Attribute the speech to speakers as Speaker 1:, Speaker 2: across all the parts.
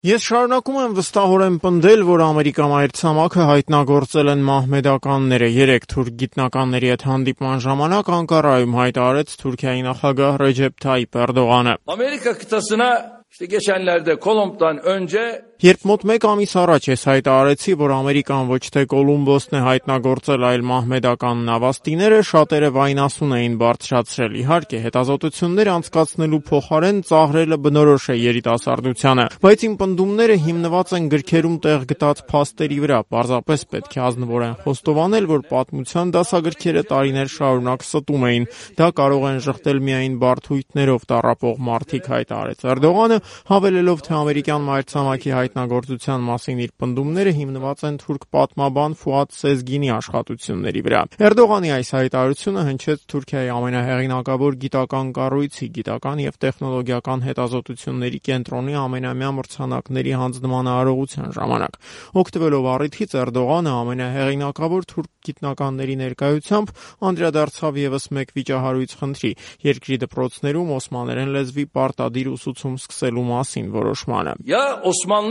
Speaker 1: Ես շարունակում եմ վստահորեն պնդել, որ Ամերիկա մայրցամաքը հայտնագործել են մահմեդականները։ Երեկ թուրք գիտնականների հետ հանդիպման ժամանակ Անկարայում հայտարարեց Թուրքիայի նախագահ Ռեջեփ Թայիփ Էրդողանը.
Speaker 2: Amerika kıtasına geçenlerde Kolomb'dan önce
Speaker 1: Երբ մոտ 1 ամիս առաջ ես հայտարարեցի, որ Ամերիկան ոչ թե Կոլումբոսն է հայտնագործել, այլ մահմեդական նավաստիները, շատերը վայնասուն էին բարձրացրել։ Իհարկե, հետազոտություններ անցկացնելու փոխարեն ծաղրելը բնորոշ է երիտասարդությանը, բայց իմ պնդումները հիմնված են գրքերում տեղ գտած փաստերի վրա։ Պարզապես պետք է ազնվորեն խոստովանել, որ պատմության դասագրքերը տարիներ շարունակ ստում էին։ Դա կարող են ժխտել միայն բարդույթներով տառապող մարդիկ, հայտարարեց Էրդողանը, հավելելով, թե ամերիկյան մայրցամաքի հայտնագործության մասին իր պնդումները հիմնված են թուրք պատմաբան Ֆուադ Սեզգինի աշխատությունների վրա։ Էրդողանի այս հայտարարությունը հնչեց Թուրքիայի ամենահեղինակավոր գիտական կառույցի գիտական եւ տեխնոլոգիական հետազոտությունների կենտրոնի ամենամյա մրցանակների հանձնման արարողության ժամանակ։ Օգտվելով առիթից Էրդողանը ամենահեղինակավոր թուրք գիտնականների ներկայությամբ անդրադարձավ եւս մեկ վիճահարույց խնդրի՝ երկրի դպրոցներում օսմաներեն լեզվի պարտադիր ուսուցում սկսելու մասին որոշմանը։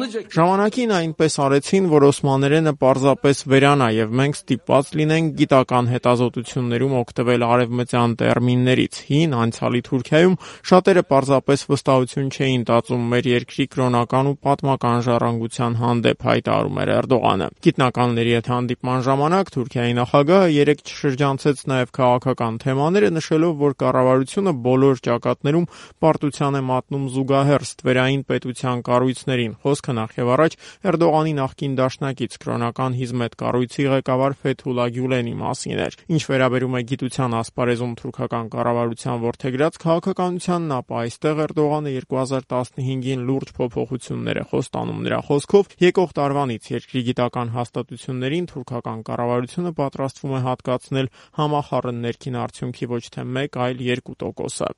Speaker 1: Ժամանակին այնպես արեցին, որ օսմաներենը պարզապես վերանա եւ մենք ստիպված լինենք գիտական հետազոտություններում օգտվել արևմտյան տերմիններից։ Հին անցյալի Թուրքիայում շատերը պարզապես վստահություն չէին տածում մեր երկրի կրոնական ու պատմական ժառանգության հանդեպ, հայտարարում էր Էրդողանը։ Գիտնականների հետ հանդիպման ժամանակ Թուրքիայի նախագահը երեկ շրջանցեց նաեւ քաղաքական թեմաները, նշելով, որ կառավարությունը բոլոր ճակատներում պարտության է մատնում զուգահեռ ստվերային պետության կառույցներին։ Խոսքը նախևառաջ Էրդողանի նախկին դաշնակից կրոնական հիզմետ կառույցի ղեկավար Ֆեթուլա Գյուլենի մասին էր։ Ինչ վերաբերում է գիտության ասպարեզում թուրքական կառավարության որդեգրած քաղաքականությանն, ապա այստեղ Էրդողանը 2015-ին լուրջ փոփոխություններ է խոստանում։ Նրա խոսքով եկող տարվանից երկրի գիտական հաստատություններին թուրքական կառավարությունը պատրաստվում է հատկացնել համախառն ներքին արդյունքի ոչ թե 1, այլ 2%-ը։